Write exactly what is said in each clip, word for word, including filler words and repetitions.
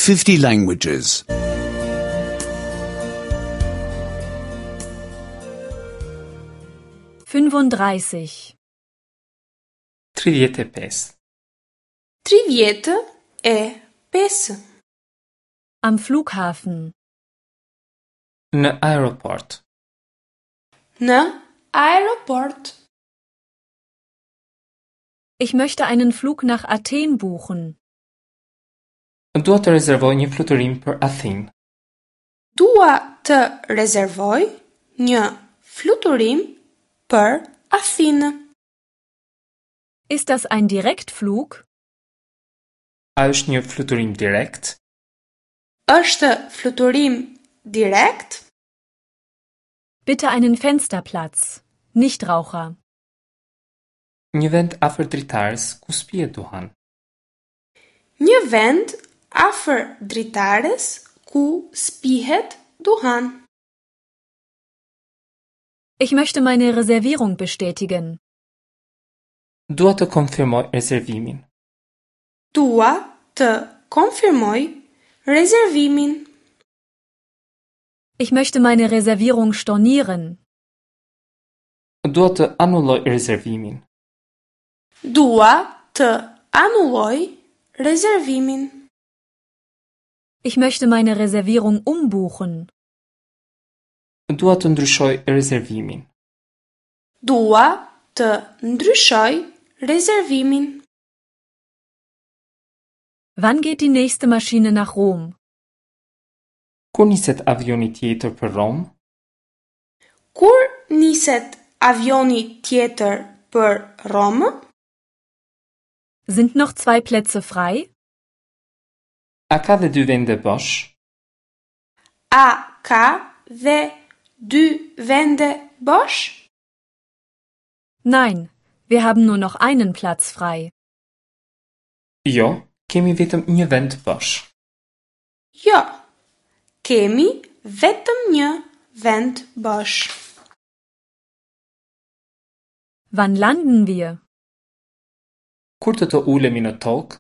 fifty languages. fünfunddreißig tridhjetë e pesë. Tridhjetë e pesë. Am Flughafen. Në aeroport. Në aeroport. Ich möchte einen Flug nach Athen buchen. Dua të rezervoj një fluturim për Athinë. Dua të rezervoj një fluturim për Athinë. Ist das ein Direktflug? A është një fluturim direkt? Është fluturim direkt? Bitte einen Fensterplatz. Nichtraucher. Një vend afër dritares ku s'pihet duhan. Një vend afër dritares ku s'pihet duhan. Ich möchte meine Reservierung bestätigen. Dua të konfirmoj rezervimin. Dua të konfirmoj rezervimin. Ich möchte meine Reservierung stornieren. Dua të anulloj rezervimin. Dua të anulloj rezervimin. Ich möchte meine Reservierung umbuchen. Dua të ndryshoj rezervimin. Dua të ndryshoj rezervimin. Wann geht die nächste Maschine nach Rom? Kur niset avioni tjetër për Romë? Kur niset avioni tjetër për Romë? Sind noch zwei Plätze frei? A ka dhe dy vende bosh? A ka dhe dy vende bosh? Nein, wir haben nur noch einen Platz frei. Jo, kemi vetëm një vend bosh. Jo, kemi vetëm një vend bosh. Wann landen wir? Kur do të ulemi në tokë?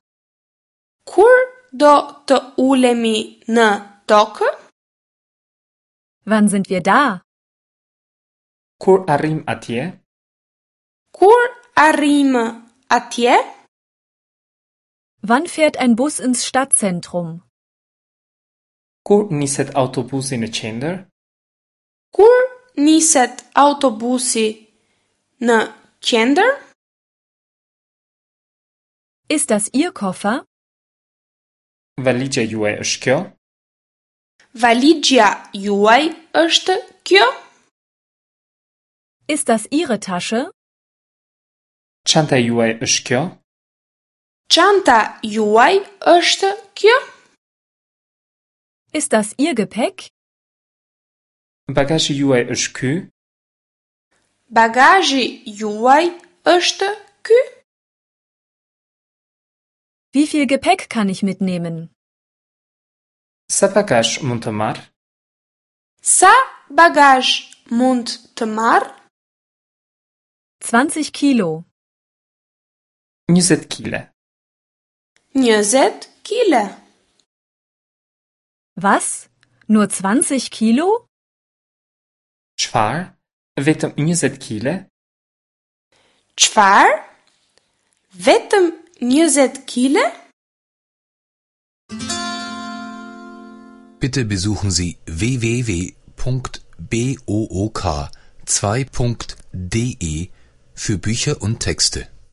Kur do të ulemi në tokë? Wann sind wir da? Kur arrim atje? Kur arrim atje? Wann fährt ein Bus ins Stadtzentrum? Kur niset autobusi në qendër? Kur niset autobusi në qendër? Ist das Ihr Koffer? Valixha juaj është kjo? Valixha juaj është kjo? Ist das Ihre Tasche? Çanta juaj është kjo? Çanta juaj është kjo? Ist das Ihr Gepäck? Bagazhi juaj është ky? Bagazhi juaj është ky? Wie viel Gepäck kann ich mitnehmen? Sa bagazh mund të marr? Sa bagazh mund të marr? zwanzig Kilo. njëzet kile. njëzet kile. Was? Nur zwanzig Kilo? Çfarë? Vetëm njëzet kile? Çfarë? Vetëm njëzet kile? Bitte besuchen Sie w w w punkt b o o k zwei punkt d e für Bücher und Texte.